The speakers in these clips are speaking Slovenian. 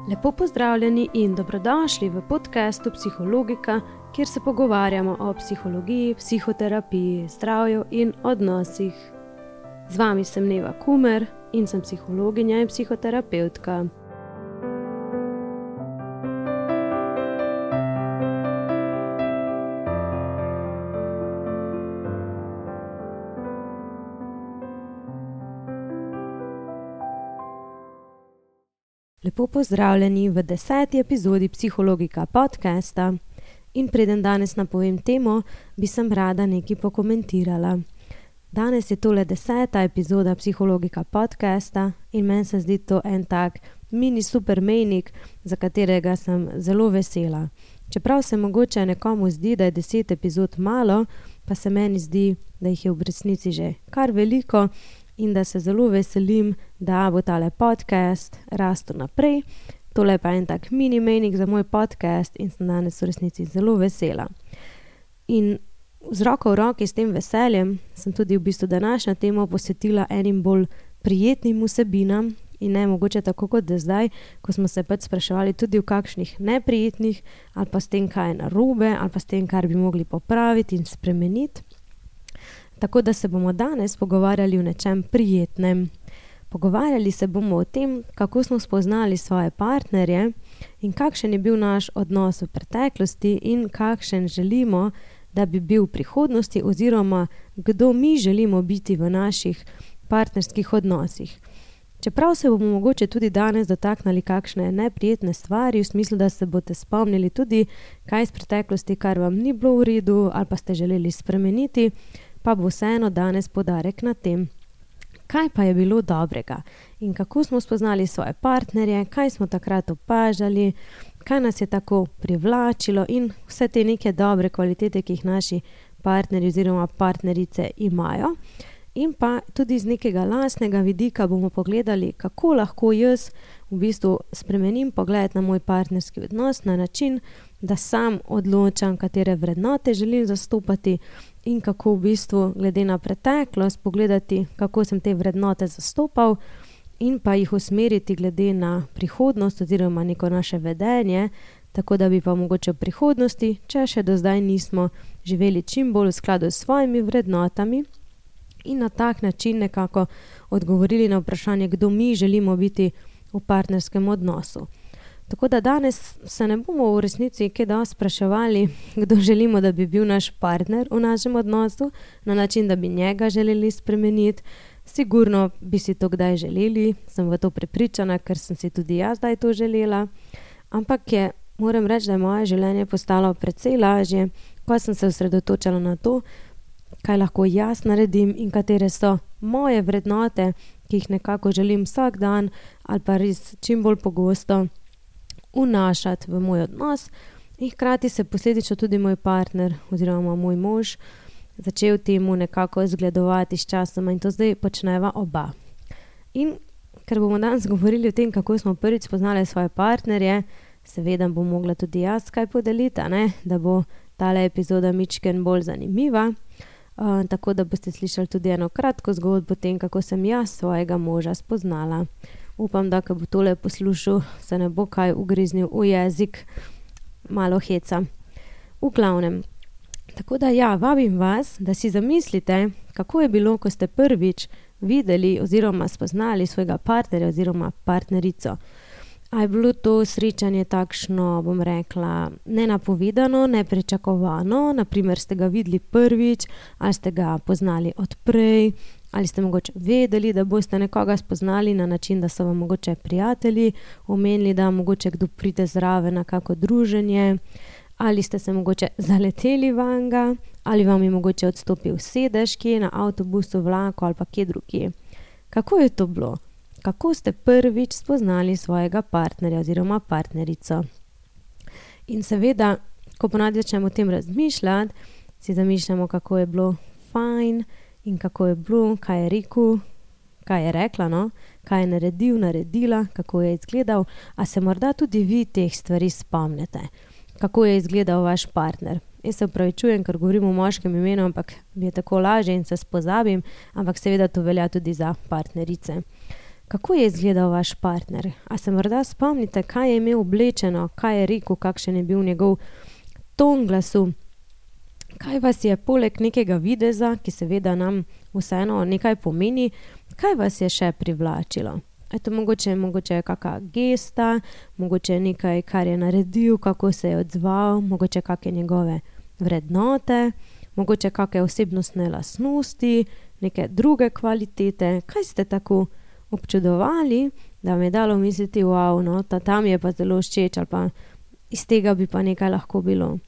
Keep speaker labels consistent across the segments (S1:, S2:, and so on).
S1: Lepo pozdravljeni in dobrodošli v podcastu Psihologika, kjer se pogovarjamo o psihologiji, psihoterapiji, zdravju in odnosih. Z vami sem Neva Kumer in sem psihologinja in psihoterapevtka. Lepo pozdravljeni v 10. epizodi Psihologika podcasta in preden danes napovem temo, bi sem rada nekaj pokomentirala. Danes je tole 10. epizoda Psihologika podcasta in meni se zdi to en tak mini super mejnik, za katerega sem zelo vesela. Čeprav se mogoče nekomu zdi, da je 10 epizod malo, pa se meni zdi, da jih je v resnici že kar veliko, in da se zelo veselim, da bo tale podcast rastel naprej. Tole pa je en tak mini mejnik za moj podcast in sem danes v resnici zelo vesela. In z roko v roki s tem veseljem sem tudi v bistvu današnjo temo posvetila enim bolj prijetnim vsebinam in ne mogoče tako kot do zdaj, ko smo se pač spraševali tudi v kakšnih neprijetnih ali pa s tem, kaj je narobe ali pa s tem, kar bi mogli popraviti in spremeniti. Tako da se bomo danes pogovarjali o nečem prijetnem. Pogovarjali se bomo o tem, kako smo spoznali svoje partnerje in kakšen je bil naš odnos v preteklosti in kakšen želimo, da bi bil v prihodnosti oziroma kdo mi želimo biti v naših partnerskih odnosih. Čeprav se bomo mogoče tudi danes dotaknili kakšne neprijetne stvari, v smislu, da se boste spomnili tudi kaj iz preteklosti, kar vam ni bilo v redu ali pa ste želeli spremeniti, pa bo vseeno danes poudarek na tem, kaj pa je bilo dobrega in kako smo spoznali svoje partnerje, kaj smo takrat opažali, kaj nas je tako privlačilo in vse te neke dobre kvalitete, ki jih naši partnerji oziroma partnerice imajo. In pa tudi z nekega lastnega vidika bomo pogledali, kako lahko jaz v bistvu spremenim pogled na moj partnerski odnos na način, da sam odločam, katere vrednote želim zastopati in kako v bistvu glede na preteklost pogledati, kako sem te vrednote zastopal in pa jih usmeriti glede na prihodnost oziroma neko naše vedenje, tako da bi pa mogoče v prihodnosti, če še do zdaj nismo živeli čim bolj v skladu s svojimi vrednotami in na tak način nekako odgovorili na vprašanje, kdo mi želimo biti v partnerskem odnosu. Tako da danes se ne bomo v resnici kaj dosti spraševali, kdo želimo, da bi bil naš partner v našem odnosu, na način, da bi njega želeli spremeniti. Sigurno bi si to kdaj želeli, sem v to prepričana, ker sem si tudi jaz zdaj to želela. Ampak moram reči, da je moje življenje postalo precej lažje, ko sem se osredotočala na to, kaj lahko jaz naredim in katere so moje vrednote, ki jih nekako želim vsak dan ali pa res čim bolj pogosto vnašati v moj odnos in hkrati se posledično tudi moj partner oziroma moj mož začel temu nekako zgledovati s časoma in to zdaj počneva oba. In ker bomo danes govorili o tem, kako smo prvič spoznali svoje partnerje, seveda bom mogla tudi jaz kaj podeliti, da bo tale epizoda mičken bolj zanimiva. Tako da boste slišali tudi eno kratko zgodbo o tem, kako sem jaz svojega moža spoznala. Upam, da ko bo tole poslušal, se ne bo kaj ugriznil v jezik, malo heca. V glavnem, tako da vabim vas, da si zamislite, kako je bilo, ko ste prvič videli oziroma spoznali svojega partnerja oziroma partnerico. A je bilo to srečanje takšno, bom rekla, nenapovedano, nepričakovano, naprimer ste ga videli prvič, ali ste ga poznali odprej, ali ste mogoče vedeli, da boste nekoga spoznali na način, da so vam mogoče prijatelji omenili, da mogoče kdo pride zraven na kako druženje, ali ste se mogoče zaleteli vanga, ali vam je mogoče odstopil sedež kje na avtobusu, vlaku ali pa kje drugje. Kako je to bilo? Kako ste prvič spoznali svojega partnerja oziroma partnerico? In seveda, ko ponavadi začnemo o tem razmišljati, si zamišljamo, kako je bilo fajn in kako je bilo, kaj je rekel, kaj je rekla, kaj je naredil, naredila, kako je izgledal, a se morda tudi vi teh stvari spomnite, kako je izgledal vaš partner. Jaz se opravičujem, ker govorim v moškem imenu, ampak mi je tako lažje in se spozabim, ampak seveda to velja tudi za partnerice. Kako je izgledal vaš partner? A se morda spomnite, kaj je imel oblečeno, kaj je rekel, kakšen je bil njegov ton glasu? Kaj vas je poleg nekega videza, ki seveda nam vseeno nekaj pomeni, kaj vas je še privlačilo? Eto, mogoče je kakšna gesta, mogoče nekaj, kar je naredil, kako se je odzval, mogoče kakšne njegove vrednote, mogoče kakšne osebnostne lastnosti, neke druge kvalitete. Kaj ste tako občudovali, da mi je dalo misliti, wow, no, tam je pa zelo všeč ali pa iz tega bi pa nekaj lahko bilo.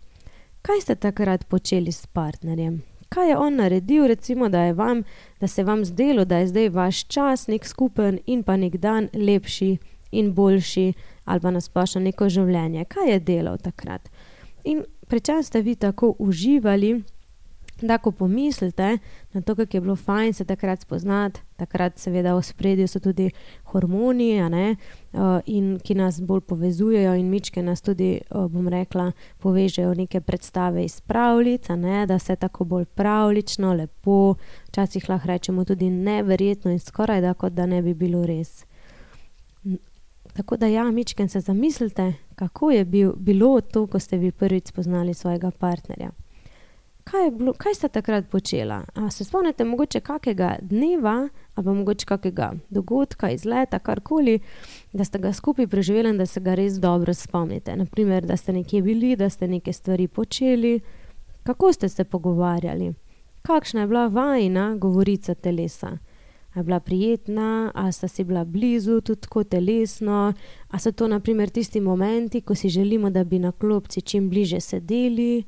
S1: Kaj ste takrat počeli s partnerjem? Kaj je on naredil, recimo, da se vam zdelo, da je zdaj vaš čas nek skupen in pa nek dan lepši in boljši ali pa nasplošno neko življenje? Kaj je delal takrat? In pri čem ste vi tako uživali, da ko pomislite na to, kako je bilo fajn se takrat spoznati, takrat seveda v ospredju so tudi hormoni, in ki nas bolj povezujejo in mičke nas tudi, bom rekla, povežejo neke predstave iz pravljic, da se tako bolj pravlično, lepo, včasih lahko rečemo tudi neverjetno in skoraj da, kot da ne bi bilo res. Tako da ja, mičken se zamislite, kako je bilo to, ko ste vi prvič spoznali svojega partnerja. Kaj ste takrat počela? A se spomnite mogoče kakega dneva ali pa mogoče kakega dogodka, izleta, karkoli, da ste ga skupaj preživeli in da se ga res dobro spomnite? Naprimer, da ste nekje bili, da ste neke stvari počeli. Kako ste se pogovarjali? Kakšna je bila vajina govorica telesa? A je bila prijetna, a sta si bila blizu tudi tako telesno, a so to naprimer tisti momenti, ko si želimo, da bi na klopci čim bliže sedeli?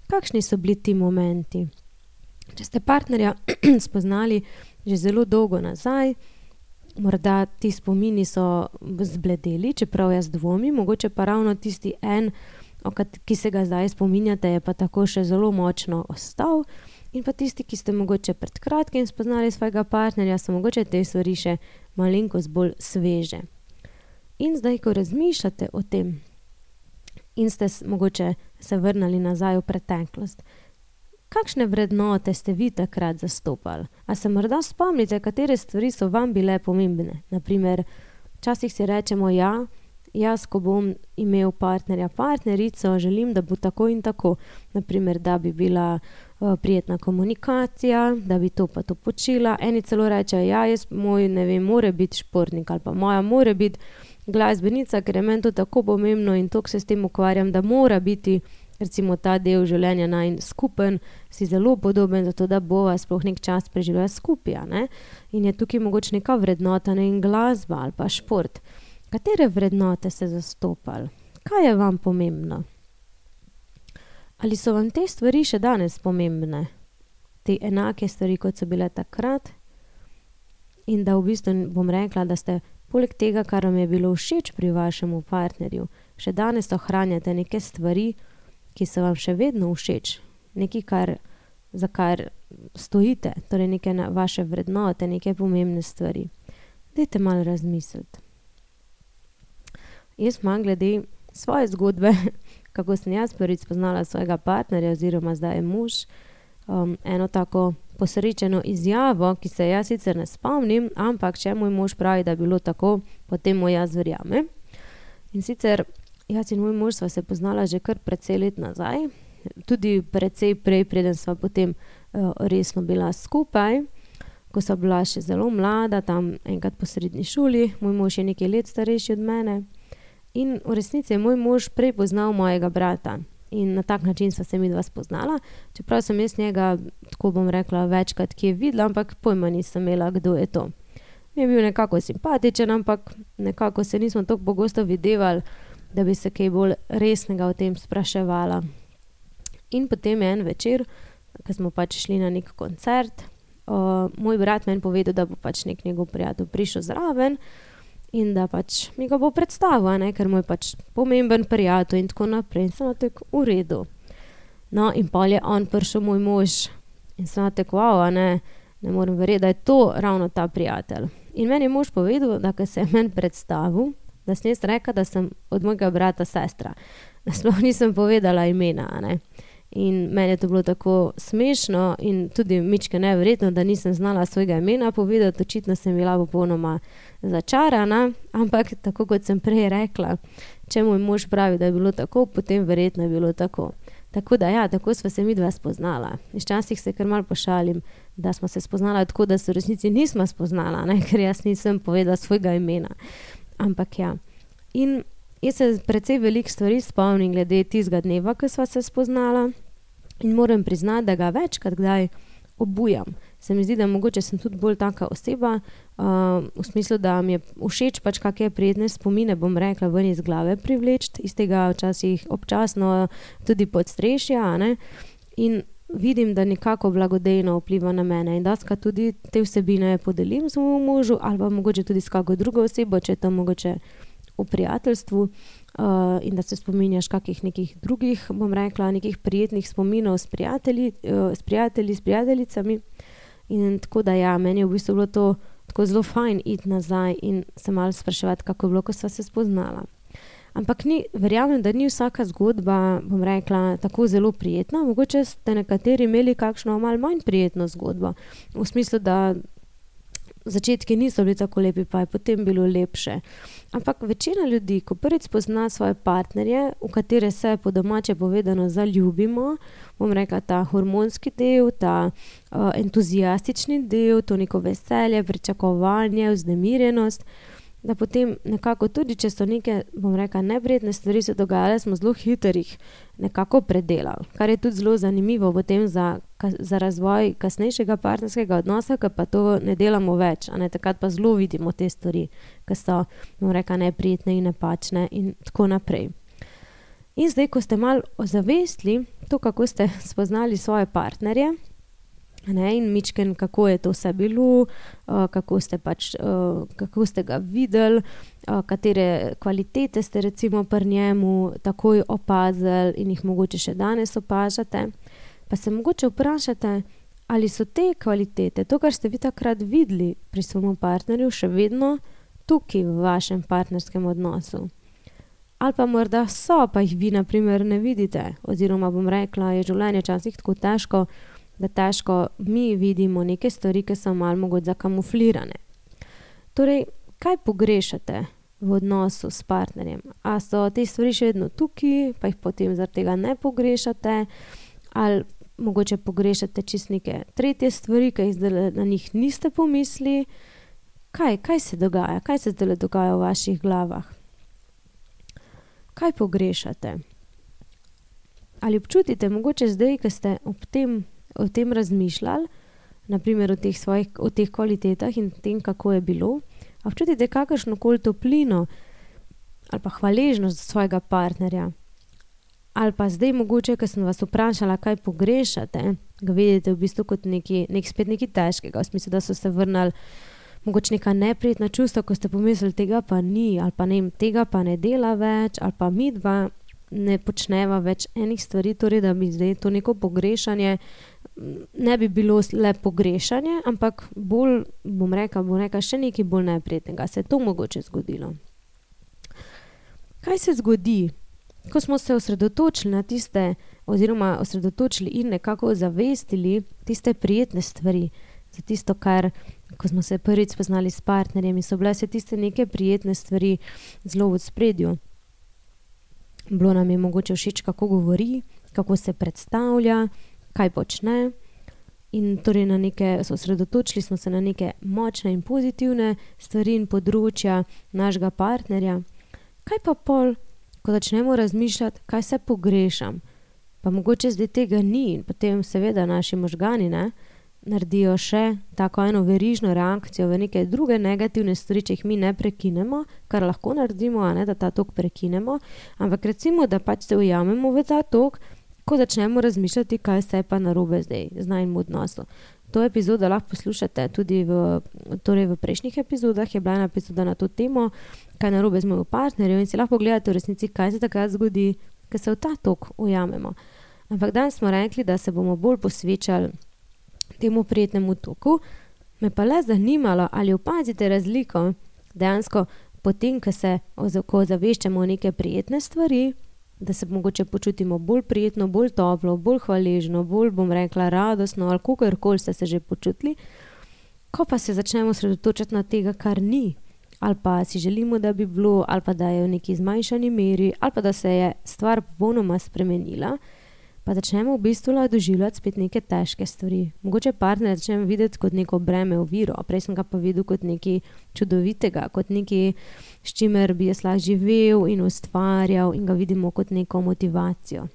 S1: Kakšni so bili ti momenti? Če ste partnerja spoznali že zelo dolgo nazaj, morda ti spomini so zbledeli, čeprav jaz dvomim, mogoče pa ravno tisti ki se ga zdaj spominjate, je pa tako še zelo močno ostal, in pa tisti, ki ste mogoče pred kratkim spoznali svojega partnerja, so mogoče te stvari še malenkost bolj sveže. In zdaj, ko razmišljate o tem, in ste mogoče se vrnili nazaj v preteklost, kakšne vrednote ste vi takrat zastopali? A se morda spomnite, katere stvari so vam bile pomembne? Naprimer, včasih si rečemo, jaz, ko bom imel partnerja, partnerico, želim, da bo tako in tako. Naprimer, da bi bila prijetna komunikacija, da bi to pa to počela. Eni celo rečejo, moj, mora biti športnik ali pa moja mora biti glasbenica, ker je meni to tako pomembno in toliko se s tem ukvarjam, da mora biti recimo ta del življenja najin skupen, si zelo podoben, zato da bova sploh nek čas preživela skupaj, In je tukaj mogoče neka vrednota, in glasba ali pa šport. Katere vrednote ste zastopali? Kaj je vam pomembno? Ali so vam te stvari še danes pomembne? Te enake stvari, kot so bile takrat? In da v bistvu bom rekla, da ste poleg tega, kar vam je bilo všeč pri vašemu partnerju, še danes ohranjate neke stvari, ki so vam še vedno všeč. Nekaj, za kar stojite, torej neke vaše vrednote, neke pomembne stvari. Dajte malo razmisliti. Jaz imam glede svoje zgodbe, kako sem jaz prvič spoznala svojega partnerja oziroma zdaj je mož, eno tako posrečeno izjavo, ki se jaz sicer ne spomnim, ampak če moj mož pravi, da je bilo tako, potem mu jaz verjamem. In sicer jaz in moj mož sva se poznala že kar precej let nazaj, tudi precej prej, preden sva potem resno bila skupaj, ko sva bila še zelo mlada, tam enkrat po srednji šoli, moj mož je nekaj let starejši od mene in v resnici je moj mož prej poznal mojega brata. In na tak način sva se midva spoznala, čeprav sem jaz njega, tako bom rekla, večkrat kje videla, ampak pojma nisem imela, kdo je to. Mi je bil nekako simpatičen, ampak nekako se nismo toliko pogosto videvali, da bi se kaj bolj resnega o tem spraševala. In potem je en večer, ko smo šli na nek koncert, moj brat meni povedal, da bo nek njegov prijatelj prišel zraven, in da mi ga bo predstavil, ker mu je pomemben prijatelj in tako naprej. In sem tako v redu. No, in pol je on prišel moj mož in sem tako, ne morem verjeti, da je to ravno ta prijatelj. In meni je mož povedal, da ko se je meni predstavil, da sem jaz rekla, da sem od mojega brata sestra. Da sploh nisem povedala imena, In meni je to bilo tako smešno in tudi mičke neverjetno, da nisem znala svojega imena povedati, očitno sem bila popolnoma začarana, ampak tako kot sem prej rekla, če moj mož pravi, da je bilo tako, potem verjetno je bilo tako. Tako da ja, tako sva se midva spoznala. Včasih se kar malo pošalim, da smo se spoznala tako, da se v resnici nismo spoznala, ne? Ker jaz nisem povedala svojega imena. Ampak ja. In jaz se precej veliko stvari spomnim glede tistega dneva, ko sva se spoznala in moram priznati, da ga večkrat kdaj obujam. Se mi zdi, da mogoče sem tudi bolj taka oseba, v smislu, da mi je všeč pač kakšne prijetne spomine, bom rekla, ven iz glave privleči, iz tega včasih občasno tudi podstrešja, ne? In vidim, da nekako blagodejno vpliva na mene in dostikrat tudi te vsebine podelim svojemu možu ali pa mogoče tudi s kako drugo osebo, če je to mogoče v prijateljstvu, in da se spominjaš kakih nekih drugih, bom rekla, nekih prijetnih spominov s prijatelji, s prijateljicami. In tako da ja, meni je v bistvu bilo to tako zelo fajn iti nazaj in se malo spraševati, kako je bilo, ko sva se spoznala. Ampak verjamem, da ni vsaka zgodba, bom rekla, tako zelo prijetna. Mogoče ste nekateri imeli kakšno malo manj prijetno zgodbo. V smislu, da začetki niso bili tako lepi, pa je potem bilo lepše. Ampak večina ljudi, ko prvič spozna svoje partnerje, v katere se po domače povedano zaljubimo, bom rekla, ta hormonski del, ta entuzijastični del, to neko veselje, pričakovanje, vznemirjenost, da potem nekako tudi, če so neke, bom rekla, neprijetne stvari se dogajale, smo zelo hitrih nekako predelali. Kar je tudi zelo zanimivo potem za razvoj kasnejšega partnerskega odnosa, ker pa to ne delamo več, a ne, takrat pa zelo vidimo te stvari, ki so, bom rekla, neprijetne in napačne in tako naprej. In zdaj, ko ste malo ozavestili to, kako ste spoznali svoje partnerje, ne, in mičken, kako je to vse bilo, kako ste ga videli, katere kvalitete ste recimo pri njemu takoj opazili in jih mogoče še danes opažate, pa se mogoče vprašate, ali so te kvalitete, to, kar ste vi takrat videli pri svojemu partnerju, še vedno tukaj v vašem partnerskem odnosu. Ali pa morda so, pa jih vi na primer ne vidite, oziroma bom rekla, je življenje včasih tako težko, da težko mi vidimo neke stvari, ki so malo mogoče zakamuflirane. Torej, kaj pogrešate v odnosu s partnerjem? A so te stvari še vedno tukaj, pa jih potem zaradi tega ne pogrešate? Ali mogoče pogrešate čisto neke tretje stvari, ki jih zdaj na njih niste pomislili? Kaj se dogaja? Kaj se zdaj dogaja v vaših glavah? Kaj pogrešate? Ali občutite mogoče zdaj, ko ste o tem razmišljali, naprimer o teh kvalitetah in tem, kako je bilo, a občutite kakršnokoli toplino ali pa hvaležnost svojega partnerja? Ali pa zdaj mogoče, ko sem vas vprašala, kaj pogrešate, ga vidite v bistvu kot spet nekaj težkega, v smislu, da so se vrnili mogoče neka neprijetna čustva, ko ste pomislili, tega pa ni, ali pa tega pa ne dela več, ali pa midva ne počneva več enih stvari, torej da bi zdaj to neko pogrešanje ne bi bilo le pogrešanje, ampak bolj, bom rekla, še nekaj bolj neprijetnega. Se je to mogoče zgodilo? Kaj se zgodi, ko smo se osredotočili na tiste, oziroma osredotočili in nekako zavestili tiste prijetne stvari, za tisto, kar, ko smo se prvič spoznali s partnerjem, so bile se tiste neke prijetne stvari zelo v ospredju. Bilo nam je mogoče všeč, kako govori, kako se predstavlja, kaj počne, in torej osredotočili smo se na neke močne in pozitivne stvari in področja našega partnerja. Kaj pa pol, ko začnemo razmišljati, kaj se pogrešam, pa mogoče zdaj tega ni in potem seveda naši možgani naredijo še tako eno verižno reakcijo v neke druge negativne stvari, če jih mi ne prekinemo, kar lahko naredimo, da ta tok prekinemo, ampak recimo, da pač se ujamemo v ta tok, ko začnemo razmišljati, kaj se je pa narobe zdaj z najnim odnosom. To epizodo lahko poslušate tudi v prejšnjih epizodah, je bila ena epizoda na to temo, kaj narobe z mojim partnerjem, in si lahko pogledate v resnici, kaj se takrat zgodi, ko se v ta tok ujamemo. Ampak danes smo rekli, da se bomo bolj posvečali temu prijetnemu toku, me pa le zanimalo, ali opazite razliko dejansko potem, ko zaveščamo neke prijetne stvari, da se mogoče počutimo bolj prijetno, bolj toplo, bolj hvaležno, bolj, bom rekla, radostno ali kakorkoli ste se že počutili, ko pa se začnemo osredotočati na tega, kar ni, ali pa si želimo, da bi bilo, ali pa da je v neki zmanjšani meri, ali pa da se je stvar popolnoma spremenila, pa začnemo v bistvu doživljati spet neke težke stvari. Mogoče partner začnemo videti kot neko breme, oviro, prej sem ga pa videl kot nekaj čudovitega, kot nekaj, s čimer bi jaz lahko živel in ustvarjal in ga vidimo kot neko motivacijo.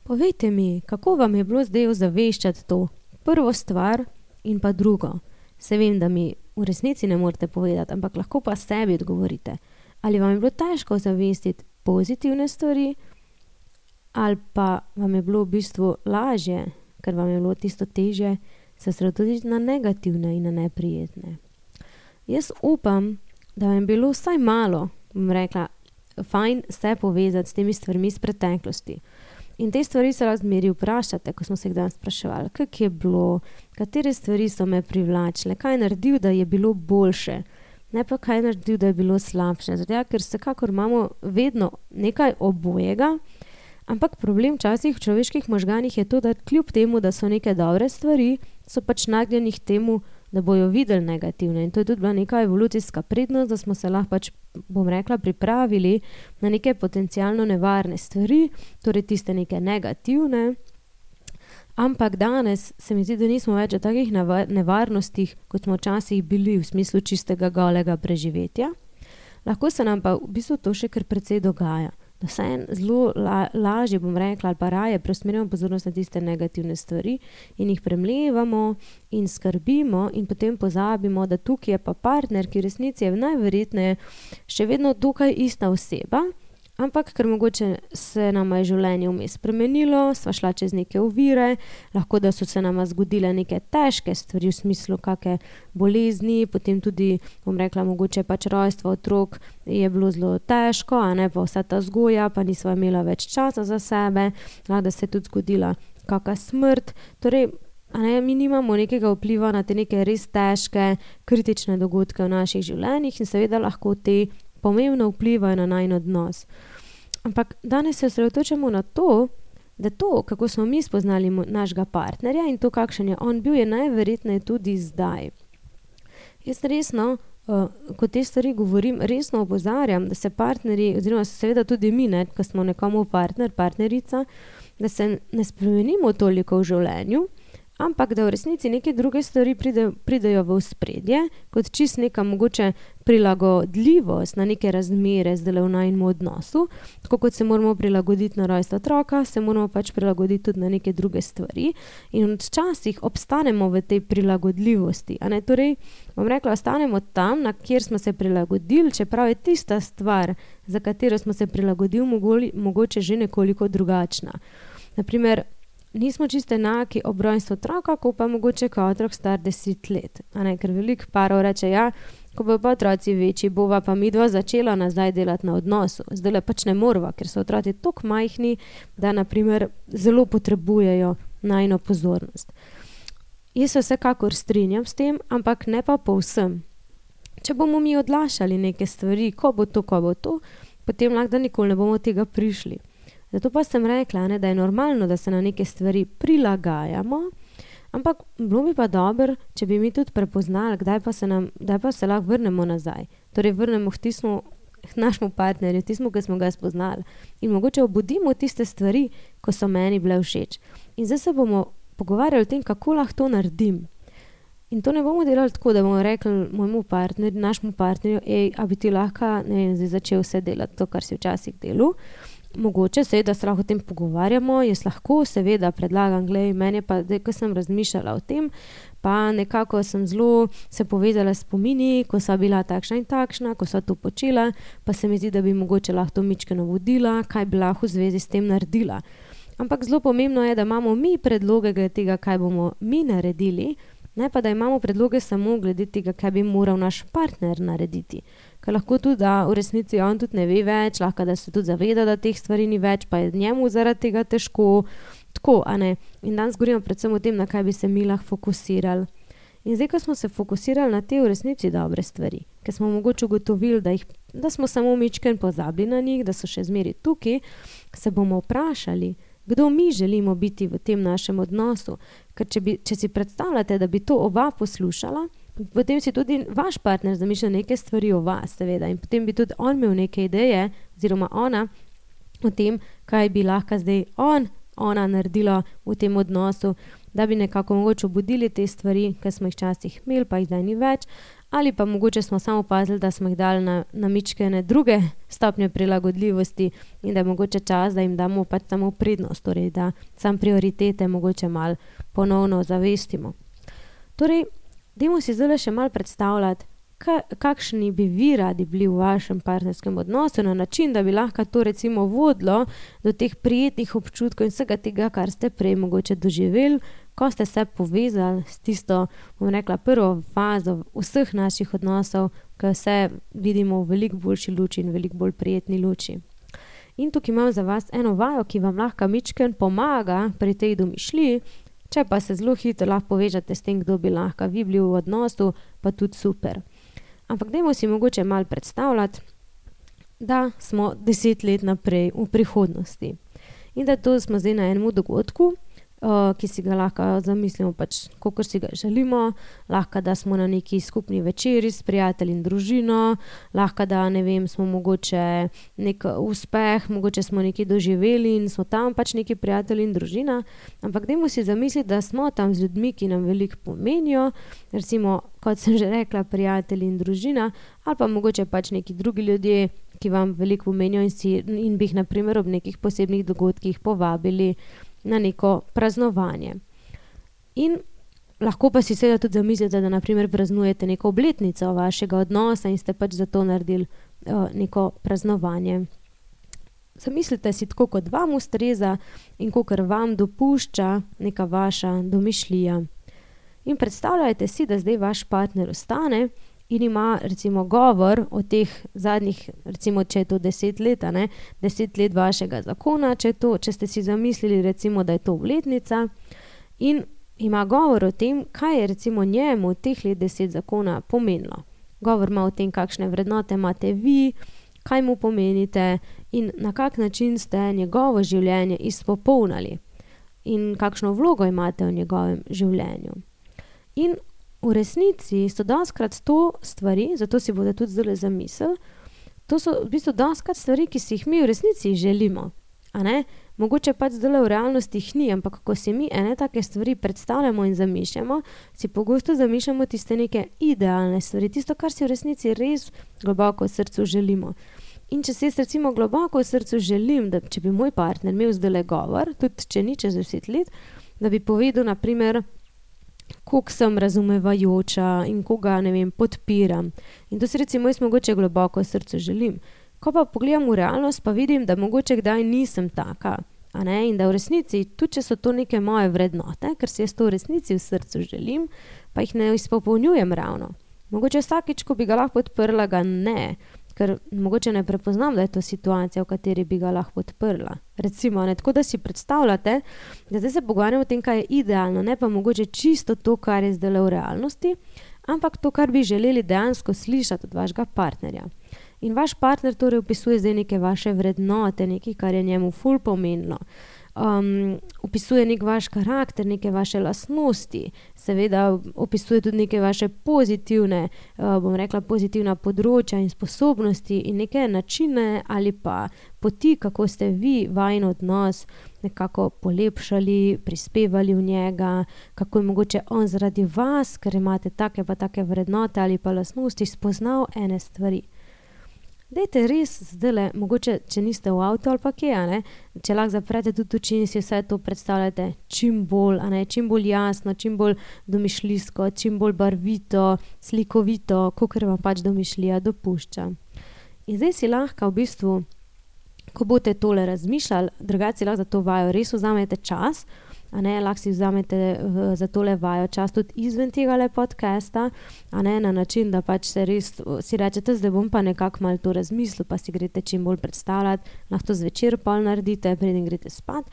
S1: Povejte mi, kako vam je bilo zdaj ozaveščati to prvo stvar in pa drugo. Se vem, da mi v resnici ne morete povedati, ampak lahko pa sebi odgovorite. Ali vam je bilo težko ozavestiti pozitivne stvari, ali pa vam je bilo v bistvu lažje, ker vam je bilo tisto težje se osredotočiti na negativne in na neprijetne. Jaz upam, da vam je bilo vsaj malo, bom rekla, fajn se povezati s temi stvarmi iz preteklosti. In te stvari se lahko zmeri vprašate, ko smo se jih danes spraševali, kako je bilo, katere stvari so me privlačile, kaj je naredil, da je bilo boljše, ne pa kaj je naredil, da je bilo slabše. Zato, ker vsekakor imamo vedno nekaj obojega, ampak problem včasih v človeških možganih je to, da kljub temu, da so neke dobre stvari, so pač nagnjeni k temu, da bojo videli negativne. In to je tudi bila neka evolucijska prednost, da smo se lahko pač, bom rekla, pripravili na neke potencialno nevarne stvari, torej tiste neke negativne. Ampak danes se mi zdi, da nismo več v takih nevarnostih, kot smo včasih bili v smislu čistega golega preživetja. Lahko se nam pa v bistvu to še kar precej dogaja. Da se zelo lažje, bom rekla, ali pa raje preusmerjamo pozornost na tiste negativne stvari in jih premlevamo in skrbimo in potem pozabimo, da tukaj je pa partner, ki v resnici je najverjetneje še vedno tukaj ista oseba, ampak ker mogoče se nama je življenje vmes spremenilo, sva šla čez neke ovire, lahko da so se nama zgodile neke težke stvari v smislu kakšne bolezni, potem tudi, bom rekla, mogoče pač rojstvo otrok je bilo zelo težko, a ne pa vsa ta vzgoja, pa nisva imela več časa za sebe, lahko da se je tudi zgodila kakšna smrt, torej mi nimamo nekega vpliva na te neke res težke, kritične dogodke v naših življenjih in seveda lahko te pomembno vplivajo na najin odnos. Ampak danes se osredotočamo na to, da to, kako smo mi spoznali našega partnerja in to, kakšen je on bil, je najverjetneje tudi zdaj. Jaz resno, ko te stvari govorim, resno opozarjam, da se partnerji, oziroma seveda tudi mi, ko smo nekomu partner, partnerica, da se ne spremenimo toliko v življenju, ampak da v resnici neke druge stvari pridejo v ospredje, kot čist neka mogoče prilagodljivost na neke razmere zdaj v najinem odnosu. Tako kot se moramo prilagoditi na rojstvo otroka, se moramo pač prilagoditi tudi na neke druge stvari in včasih obstanemo v tej prilagodljivosti. Torej, bom rekla, ostanemo tam, na kjer smo se prilagodili, čeprav je tista stvar, za katero smo se prilagodili, mogoče že nekoliko drugačna. Naprimer, nismo čisto enaki ob rojstvu otroka, ko pa mogoče kot otrok star 10 let. Ker veliko parov reče, ko bojo pa otroci večji, bova pa midva začela nazaj delati na odnosu. Zdajle pač ne morva, ker so otroci toliko majhni, da naprimer zelo potrebujejo najino pozornost. Jaz se vsekakor strinjam s tem, ampak ne pa povsem. Če bomo mi odlašali neke stvari, ko bo to, potem lahko da nikoli ne bomo tega prišli. Zato pa sem rekla, da je normalno, da se na neke stvari prilagajamo, ampak bilo bi pa dobro, če bi mi tudi prepoznali, kdaj pa se lahko vrnemo nazaj. Torej vrnemo k našemu partnerju, tismu, ki smo ga spoznali. In mogoče obudimo tiste stvari, ko so meni bile všeč. In zdaj se bomo pogovarjali o tem, kako lahko to naredim. In to ne bomo delali tako, da bomo rekli našemu partnerju, a bi ti lahko zdaj začel vse delati to, kar si včasih delal. Mogoče seveda se lahko o tem pogovarjamo, jaz lahko seveda predlagam, meni je pa, ko sem razmišljala o tem, pa nekako sem zelo se povezala s spomini, ko sva bila takšna in takšna, ko sva to počela, pa se mi zdi, da bi mogoče lahko to mičkeno vodila, kaj bi lahko v zvezi s tem naredila. Ampak zelo pomembno je, da imamo mi predloge glede tega, kaj bomo mi naredili, ne pa da imamo predloge samo glede tega, kaj bi moral naš partner narediti. Ker lahko tudi, da v resnici on tudi ne ve več, lahko da se tudi zaveda, da teh stvari ni več, pa je njemu zaradi tega težko, tako, In danes govorimo predvsem o tem, na kaj bi se mi lahko fokusirali. In zdaj, ko smo se fokusirali na te v resnici dobre stvari, ker smo mogoče ugotovili, da smo samo mičken pozabili na njih, da so še zmeri tukaj, se bomo vprašali, kdo mi želimo biti v tem našem odnosu. Ker če si predstavljate, da bi to oba poslušala, potem si tudi vaš partner zamišlja neke stvari o vas, seveda, in potem bi tudi on imel neke ideje, oziroma ona, o tem, kaj bi lahko zdaj ona naredila v tem odnosu, da bi nekako mogoče obudili te stvari, ki smo jih včasih imeli, pa jih zdaj ni več, ali pa mogoče smo samo opazili, da smo jih dali na mičkene druge stopnje prilagodljivosti in da je mogoče čas, da jim damo pač samo prednost, torej da sam prioritete mogoče malo ponovno zavestimo. Torej, dajmo si zdaj še malo predstavljati, kakšni bi vi radi bili v vašem partnerskem odnosu na način, da bi lahko to recimo vodilo do teh prijetnih občutkov in vsega tega, kar ste prej mogoče doživeli, ko ste se povezali s tisto, bom rekla, prvo fazo vseh naših odnosov, ko vse vidimo v veliko boljši luči in veliko bolj prijetni luči. In tukaj imam za vas eno vajo, ki vam lahko mičken pomaga pri tej domišljiji, če pa se zelo hitro lahko povežete s tem, kdo bi lahko vi bili v odnosu, pa tudi super. Ampak dajmo si mogoče malo predstavljati, da smo 10 let naprej v prihodnosti. In da to smo zdaj na enem dogodku, ki si ga lahko zamislimo pač, kakor si ga želimo, lahko da smo na neki skupni večeri s prijatelji in družino, lahko da, ne vem, smo mogoče nek uspeh, mogoče smo nekaj doživeli in smo tam pač neki prijatelji in družina, ampak dajmo si zamisliti, da smo tam z ljudmi, ki nam veliko pomenijo, recimo, kot sem že rekla, prijatelji in družina, ali pa mogoče pač neki drugi ljudje, ki vam veliko pomenijo in bi jih na primer ob nekih posebnih dogodkih povabili na neko praznovanje. In lahko pa si seveda tudi zamislite, da na primer praznujete neko obletnico vašega odnosa in ste pač za to naredili neko praznovanje. Zamislite si tako, kot vam ustreza in kakor vam dopušča neka vaša domišljija. In predstavljajte si, da zdaj vaš partner ostane in ima recimo govor o teh zadnjih, recimo, če je to 10 let, 10 let vašega zakona, če ste si zamislili recimo, da je to obletnica in ima govor o tem, kaj je recimo njemu teh let 10 zakona pomenilo. Govor ima o tem, kakšne vrednote imate vi, kaj mu pomenite in na kak način ste njegovo življenje izpopolnili in kakšno vlogo imate v njegovem življenju. In v resnici so dostikrat to stvari, zato si bodo tudi zdaj zamislili, to so v bistvu dostikrat stvari, ki si jih mi v resnici želimo. Mogoče pač zdaj v realnosti jih ni, ampak ko si mi ene take stvari predstavljamo in zamišljamo, si pogosto zamišljamo tiste neke idealne stvari, tisto, kar si v resnici res globoko v srcu želimo. In če si jaz recimo globoko v srcu želim, da če bi moj partner imel zdajle govor, tudi če ni čez 10 let, da bi povedal na primer, koliko sem razumevajoča in koga, ne vem, podpiram. In to si recimo jaz mogoče globoko v srcu želim. Ko pa pogledam v realnost, pa vidim, da mogoče kdaj nisem taka. In da v resnici, tudi če so to neke moje vrednote, ker si jaz to v resnici v srcu želim, pa jih ne izpopolnjujem ravno. Mogoče vsakič, ko bi ga lahko podprla, ga ne, ker mogoče ne prepoznam, da je to situacija, v kateri bi ga lahko podprla. Recimo, tako da si predstavljate, da zdaj se pogovarjamo o tem, kaj je idealno, ne pa mogoče čisto to, kar je zdaj v realnosti, ampak to, kar bi želeli dejansko slišati od vašega partnerja. In vaš partner torej opisuje zdaj neke vaše vrednote, nekaj, kar je njemu ful pomenilo. Opisuje nek vaš karakter, neke vaše lastnosti, seveda opisuje tudi neke vaše pozitivne, pozitivna področja in sposobnosti in neke načine ali pa poti, kako ste vi vajin odnos nekako polepšali, prispevali v njega, kako je mogoče on zaradi vas, ker imate take pa take vrednote ali pa lastnosti, spoznal ene stvari. Dajte res zdajle, mogoče, če niste v avtu ali pa kje, če lahko zaprete tudi oči in si vse to predstavljate čim bolj jasno, čim bolj domišljijsko, čim bolj barvito, slikovito, kakor vam pač domišljija dopušča. In zdaj si lahko v bistvu, ko boste tole razmišljali, drugače si lahko za to vajo res vzamete čas, lahko si vzamete za tole vajo čas tudi izven tegale podcasta, na način, da pač se res si rečete, zdaj bom pa nekako malo to razmislil, pa si greste čim bolj predstavljati, lahko to zvečer pol naredite, preden greste spat.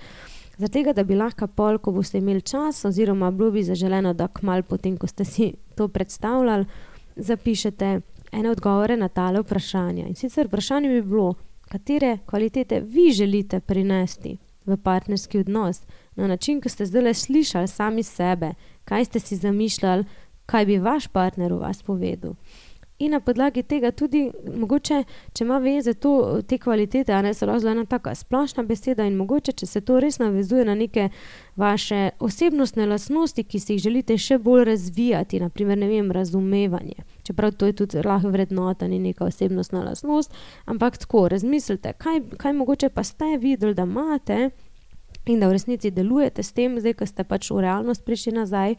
S1: Zaradi tega, da bi lahko pol, ko boste imeli čas oziroma bilo bi zaželeno, da kmalu potem, ko ste si to predstavljali, zapišete ene odgovore na tale vprašanja. In sicer vprašanje bi bilo, katere kvalitete vi želite prinesti v partnerski odnos, na način, ko ste zdajle slišali sami sebe, kaj ste si zamišljali, kaj bi vaš partner v vas povedal. In na podlagi tega tudi, mogoče, če ima veze te kvalitete, a ne so lahko ena taka splošna beseda in mogoče, če se to res navezuje na neke vaše osebnostne lastnosti, ki si jih želite še bolj razvijati, naprimer, ne vem, razumevanje. Čeprav to je tudi lahko vrednota, ni neka osebnostna lastnost, ampak tako, razmislite, kaj mogoče pa ste videli, da imate in da v resnici delujete s tem, zdaj, ko ste pač v realnost prišli nazaj,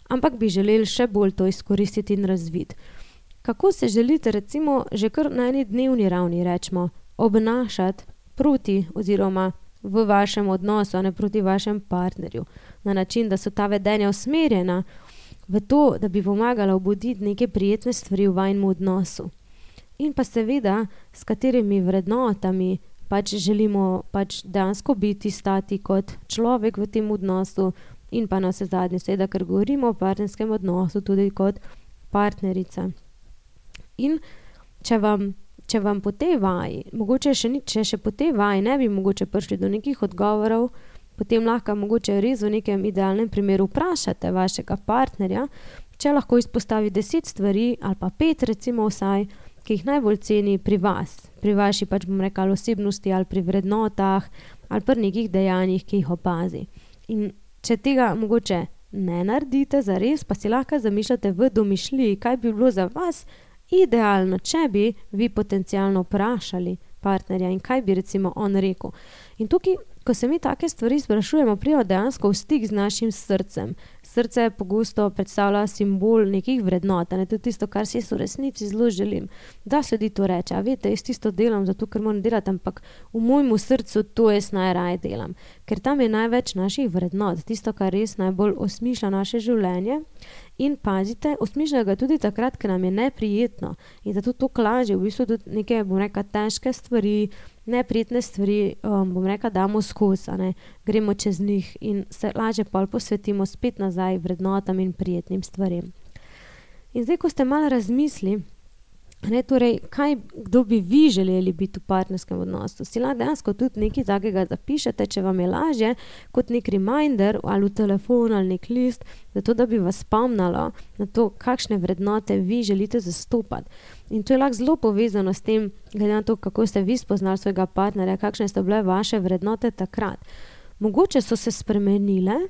S1: ampak bi želeli še bolj to izkoristiti in razviti. Kako se želite recimo že kar na eni dnevni ravni, rečemo, obnašati proti oziroma v vašem odnosu, a ne proti vašem partnerju, na način, da so ta vedenja usmerjena v to, da bi pomagala obuditi neke prijetne stvari v vajnem odnosu. In pa seveda, s katerimi vrednotami pač želimo pač dejansko biti, stati kot človek v tem odnosu in pa na vse zadnje, seveda, ker govorimo o partnerskem odnosu tudi kot partnerica. In če vam po tej vaji, mogoče če še po tej vaji ne bi mogoče prišli do nekih odgovorov, potem lahko mogoče res v nekem idealnem primeru vprašate vašega partnerja, če lahko izpostavi 10 stvari ali pa 5 recimo vsaj, ki jih najbolj ceni pri vas, pri vaši pač bom rekla osebnosti ali pri vrednotah ali pri nekih dejanjih, ki jih opazi. In če tega mogoče ne naredite zares, pa si lahko zamišljate v domišljiji, kaj bi bilo za vas idealno, če bi vi potencialno vprašali partnerja in kaj bi recimo on rekel. In tukaj, ko se mi take stvari sprašujemo, pridemo dejansko v stik z našim srcem. Srce pogosto predstavlja simbol nekih vrednot, ne tudi tisto, kar si v resnici zelo želim. Da se ljudi to reče, a veste, jaz tisto delam zato, ker moram delati, ampak v mojemu srcu to jaz najraje delam. Ker tam je največ naših vrednot, tisto, kar res najbolj osmišlja naše življenje. In pazite, osmišlja ga tudi takrat, ker nam je neprijetno. In zato to lažje, v bistvu tudi neke, bom rekla, težke stvari, neprijetne stvari, bom rekla, damo skozi, ne, gremo čez njih in se lažje pol posvetimo spet nazaj vrednotam in prijetnim stvarem. In zdaj, ko ste malo razmisli, ne, torej, kdo bi vi želeli biti v partnerskem odnosu, si lahko dejansko tudi nekaj takega zapišete, če vam je lažje, kot nek reminder ali v telefon ali nek list, zato da bi vas spomnilo na to, kakšne vrednote vi želite zastopati. In to je lahko zelo povezano s tem, glede na to, kako ste vi spoznali svojega partnerja, kakšne so bile vaše vrednote takrat. Mogoče so se spremenile,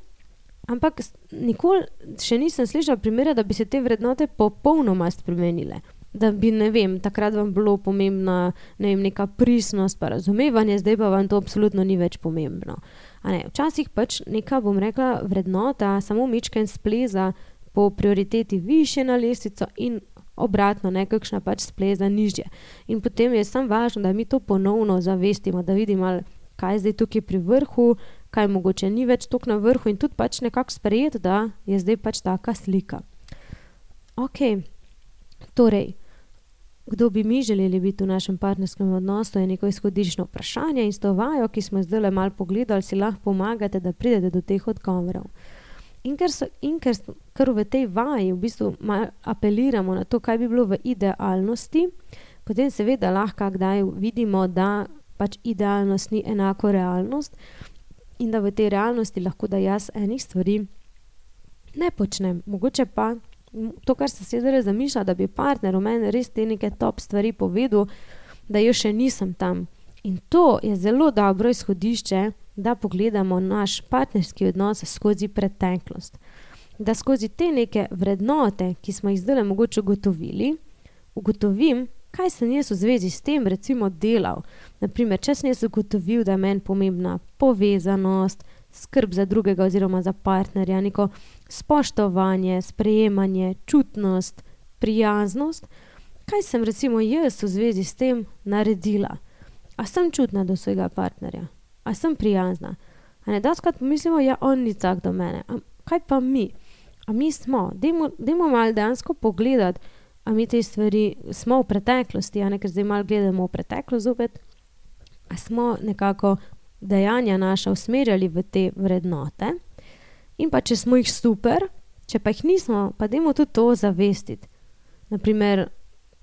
S1: ampak nikoli še nisem slišala primera, da bi se te vrednote popolnoma spremenile. Da bi, ne vem, takrat vam bilo pomembna, ne vem, neka pristnost pa razumevanje, zdaj pa vam to absolutno ni več pomembno. A ne, včasih pač neka, bom rekla, vrednota samo mičken spleza po prioriteti višje na lestvico in obratno, nekakšna pač spleza nižje. In potem je samo važno, da mi to ponovno zavestimo, da vidimo, kaj je zdaj tukaj pri vrhu, kaj mogoče ni več tukaj na vrhu in tudi pač nekako sprejeti, da je zdaj pač taka slika. Ok, torej, kdo bi mi želeli biti v našem partnerskem odnosu, je neko izhodiščno vprašanje in s to vajo, ki smo zdaj malo pogledali, si lahko pomagate, da pridete do teh odgovorov. In ker v tej vaji v bistvu apeliramo na to, kaj bi bilo v idealnosti, potem seveda lahko kdaj vidimo, da pač idealnost ni enako realnost in da v tej realnosti lahko da jaz enih stvari ne počnem. Mogoče pa to, kar sem se zdaj zamišljala, da bi partner v meni res te neke top stvari povedal, da jo še nisem tam. In to je zelo dobro izhodišče, da pogledamo naš partnerski odnos skozi preteklost. Da skozi te neke vrednote, ki smo jih zdaj mogoče ugotovim, kaj sem jaz v zvezi s tem recimo delal. Naprimer, če sem jaz ugotovil, da je meni pomembna povezanost, skrb za drugega oziroma za partnerja, neko spoštovanje, sprejemanje, čutnost, prijaznost, kaj sem recimo jaz v zvezi s tem naredila. A sem čutna do svojega partnerja? A sem prijazna? A ne doskrat pomislimo, ja, on ni tak do mene. A kaj pa mi? A mi smo? Dajmo malo dejansko pogledati, a mi te stvari smo v preteklosti, a ne, ker zdaj malo gledamo v preteklost zopet, a smo nekako dejanja naša usmerjali v te vrednote in pa če smo jih super, če pa jih nismo, pa dajmo tudi to zavestiti. Naprimer,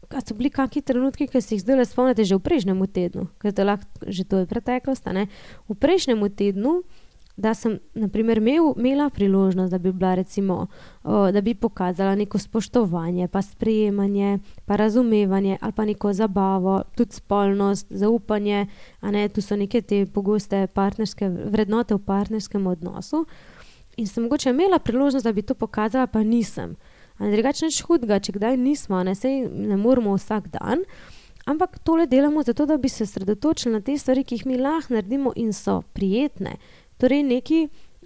S1: a so bili kakšni trenutki, ki si jih zdaj spomnite že v prejšnjem tednu, ker to lahko že to je preteklost, ne? V prejšnjem tednu, da sem, naprimer, imela priložnost, da bi bila recimo, da bi pokazala neko spoštovanje, pa sprejemanje, pa razumevanje ali pa neko zabavo, tudi spolnost, zaupanje, a ne, tu so neke te pogoste partnerske vrednote v partnerskem odnosu in sem mogoče imela priložnost, da bi to pokazala, pa nisem. A ne, drugače nič hudega, če kdaj nismo, ne, saj ne moramo vsak dan, ampak tole delamo zato, da bi se sredotočili na te stvari, ki jih mi lahko naredimo in so prijetne. Torej neki,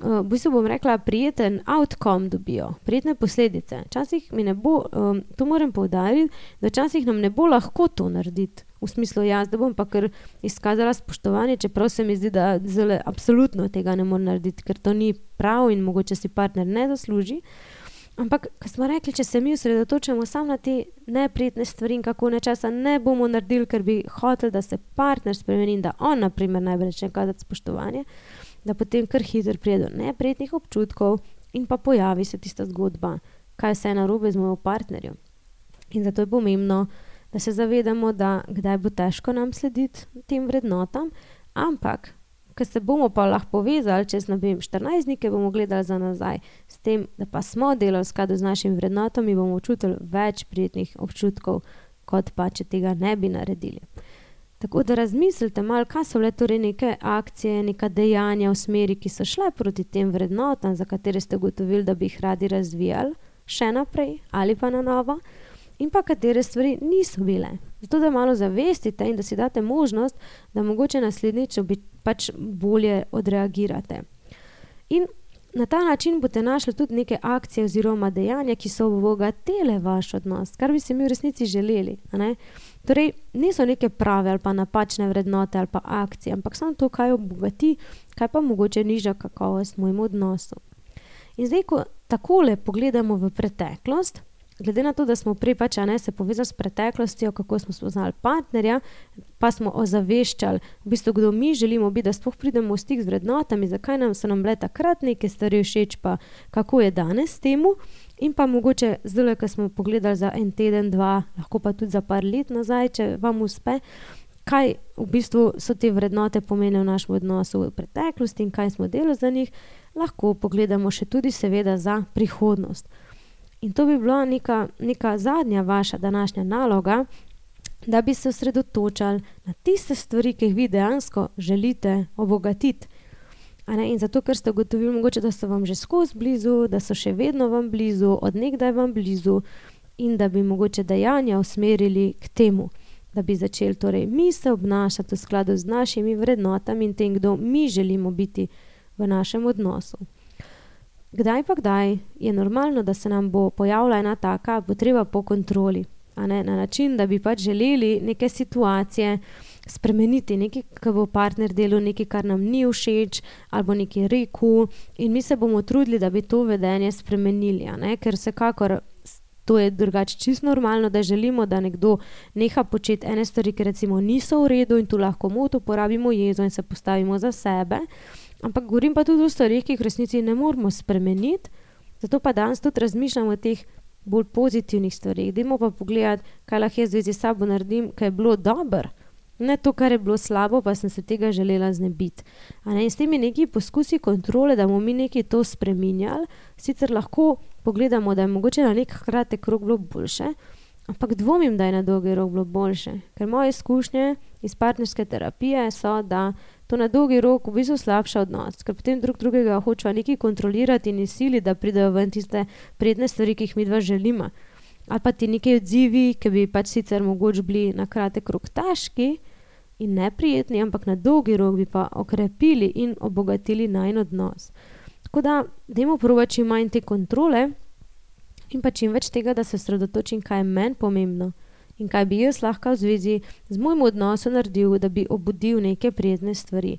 S1: v bistvu bom rekla, prijeten outcome dobijo, prijetne posledice. Včasih mi ne bo, to moram poudariti, da včasih nam ne bo lahko to narediti. V smislu, jaz da bom pa kar izkazala spoštovanje, čeprav se mi zdi, da zelo absolutno tega ne morem narediti, ker to ni prav in mogoče si partner ne zasluži. Ampak, ko smo rekli, če se mi osredotočamo samo na te neprijetne stvari in kako nečesa ne bomo naredili, ker bi hoteli, da se partner spremeni in da on, naprimer, najbolj reče kazati spoštovanje, da potem kar hitro pride do neprijetnih občutkov in pa pojavi se tista zgodba, kaj vse je narobe z mojim partnerjem. In zato je pomembno, da se zavedamo, da kdaj bo težko nam slediti tem vrednotam, ampak, ko se bomo pa lahko povezali čez, ne vem, 14 dni, ki bomo gledali za nazaj, s tem, da pa smo delali v skladu z našimi vrednotami, bomo čutili več prijetnih občutkov, kot pa, če tega ne bi naredili. Tako da razmislite malo, kaj so bile torej neke akcije, neka dejanja v smeri, ki so šle proti tem vrednotam, za katere ste ugotovili, da bi jih radi razvijali še naprej ali pa na novo, in pa katere stvari niso bile. Zato, da malo zavestite in da si date možnost, da mogoče naslednjič pač bolje odreagirate. In na ta način boste našli tudi neke akcije oziroma dejanja, ki so obogatile vaš odnos, kar bi si mi v resnici želeli, a ne? Torej, niso neke prave ali pa napačne vrednote ali pa akcije, ampak samo to, kaj obogati, kaj pa mogoče nižja kakovost mojemu odnosu. In zdaj, ko takole pogledamo v preteklost, glede na to, da smo prej pač, a ne, se povezali s preteklostjo, kako smo spoznali partnerja, pa smo ozaveščali, v bistvu, kdo mi želimo biti, da sploh pridemo v stik z vrednotami, zakaj so nam bile takrat neke stvari všeč, pa kako je danes temu, in pa mogoče zdaj, ko smo pogledali za en teden, dva, lahko pa tudi za par let nazaj, če vam uspe, kaj v bistvu so te vrednote pomenijo v našem odnosu v preteklosti in kaj smo delali za njih, lahko pogledamo še tudi seveda za prihodnost. In to bi bila neka zadnja vaša današnja naloga, da bi se osredotočali na tiste stvari, ki jih vi dejansko želite obogatiti. A ne? In zato, ker ste ugotovili mogoče, da so vam že skozi blizu, da so še vedno vam blizu, od nekdaj vam blizu in da bi mogoče dejanja usmerili k temu, da bi začeli torej mi se obnašati v skladu z našimi vrednotami in tem, kdo mi želimo biti v našem odnosu. Kdaj pa kdaj je normalno, da se nam bo pojavila ena taka potreba po kontroli, a ne, na način, da bi pač želeli neke situacije spremeniti, nekaj, ki bo partner delal, nekaj, kar nam ni všeč, ali bo nekaj rekel in mi se bomo trudili, da bi to vedenje spremenili, a ne, ker vsekakor to je drugače čisto normalno, da želimo, da nekdo neha početi ene stvari, ki recimo niso v redu in tu lahko moto uporabimo jezo in se postavimo za sebe. Ampak govorim pa tudi o stvarih, ki jih v resnici ne moramo spremeniti, zato pa danes tudi razmišljamo o teh bolj pozitivnih stvarih. Dajmo pa pogledati, kaj lahko jaz v zvezi s sabo naredim, kaj je bilo dobro, ne to, kar je bilo slabo, pa sem se tega želela znebiti. A ne, in s temi neki poskusi kontrole, da bomo mi nekaj to spreminjali, sicer lahko pogledamo, da je mogoče na nek kratek rok bilo boljše, ampak dvomim, da je na dolgi rok bilo boljše, ker moje izkušnje iz partnerske terapije so, da to na dolgi rok v bistvu slabša odnos, ker potem drugega hočeva nekaj kontrolirati in sili, da pridejo ven tiste prijetne stvari, ki jih midva želimo. Ali pa ti nekaj odzivi, ki bi pač sicer mogoče bili na kratek rok težki in neprijetni, ampak na dolgi rok bi pa okrepili in obogatili najin odnos. Tako da, dajmo probati čim manj te kontrole in pa čim več tega, da se osredotočim, kaj je meni pomembno in kaj bi jaz lahko v zvezi z mojim odnosom naredil, da bi obudil neke prijetne stvari.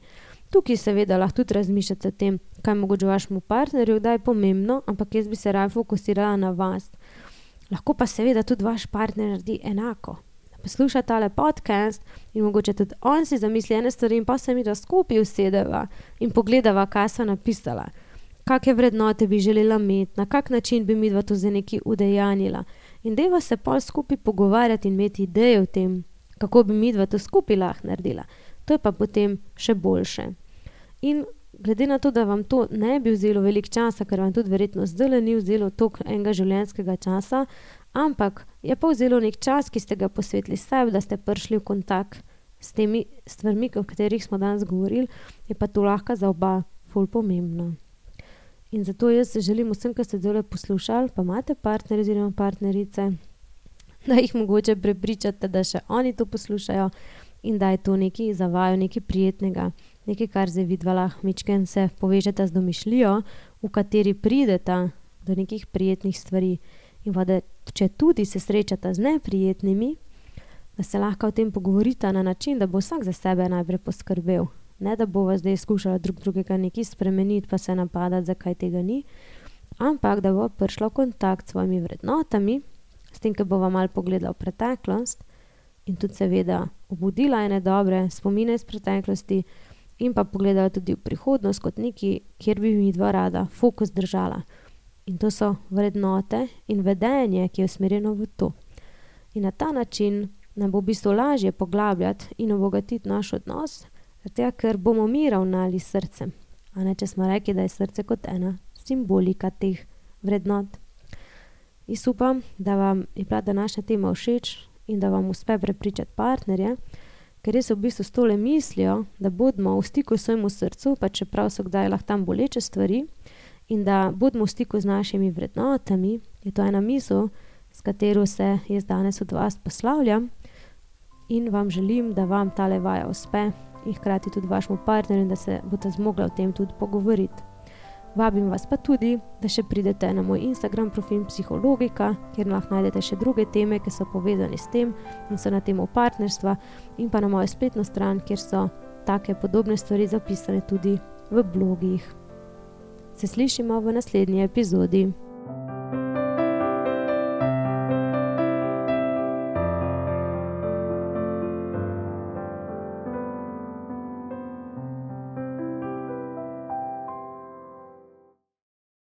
S1: Tukaj seveda lahko tudi razmišljate o tem, kaj mogoče vašemu partnerju, da je pomembno, ampak jaz bi se raje fokusirala na vas. Lahko pa seveda tudi vaš partner naredi enako. posluša tale podcast in mogoče tudi on si zamisli ene stvari in pa se mi da skupaj usedeva in pogledava, kaj so napisala. Kakšne vrednote bi želela imeti, na kak način bi midva to zdaj nekaj udejanjila. In deva se pol skupaj pogovarjati in imeti ideje o tem, kako bi midva to skupaj lahko naredila. To je pa potem še boljše. In glede na to, da vam to ne bi vzelo veliko časa, ker vam tudi verjetno zdaj ni vzelo toliko enega življenjskega časa, ampak je pa vzelo nek čas, ki ste ga posvetili sebi, da ste prišli v kontakt s temi stvarmi, o katerih smo danes govorili, je pa to lahko za oba ful pomembno. In zato jaz želim vsem, ki ste zdaj poslušali, pa imate partnerje oziroma partnerice, da jih mogoče prepričate, da še oni to poslušajo in da je to nekaj za vaju, nekaj prijetnega, nekaj, kar zdaj vidva lahko mičken se povežeta z domišljijo, v kateri prideta do nekih prijetnih stvari. In pa da če tudi se srečata z neprijetnimi, da se lahko o tem pogovorita na način, da bo vsak za sebe najprej poskrbel. Ne, da bova zdaj skušala drugega nekaj spremeniti, pa se napadati, zakaj tega ni, ampak da bo prišla v kontakt s svojimi vrednotami, s tem, ko bova malo pogledala v preteklost in tudi seveda obudila ene dobre spomine iz preteklosti in pa pogledala tudi v prihodnost kot nekaj, kjer bi mi dva rada fokus držala. In to so vrednote in vedenje, ki je usmerjeno v to. In na ta način nam bo v bistvu lažje poglabljati in obogatiti naš odnos, zato ker bomo mi ravnali s srcem. A ne, če smo rekli, da je srce kot ena simbolika teh vrednot. Jaz upam, da vam je bila današnja tema všeč in da vam uspe prepričati partnerje, ker res v bistvu s tole mislijo, da bodimo v stiku s svojemu srcu, pa čeprav so kdaj lahko tam boleče stvari, in da bodimo v stiku z našimi vrednotami, je to ena misel, s katero se jaz danes od vas poslavljam in vam želim, da vam tale vaja uspe in hkrati tudi vašemu partnerju, da se boste zmogla o tem tudi pogovoriti. Vabim vas pa tudi, da še pridete na moj Instagram profil Psihologika, kjer lahko najdete še druge teme, ki so povezane s tem in so na temo partnerstva, in pa na mojo spletno stran, kjer so take podobne stvari zapisane tudi v blogih. Se slišimo v naslednji epizodi.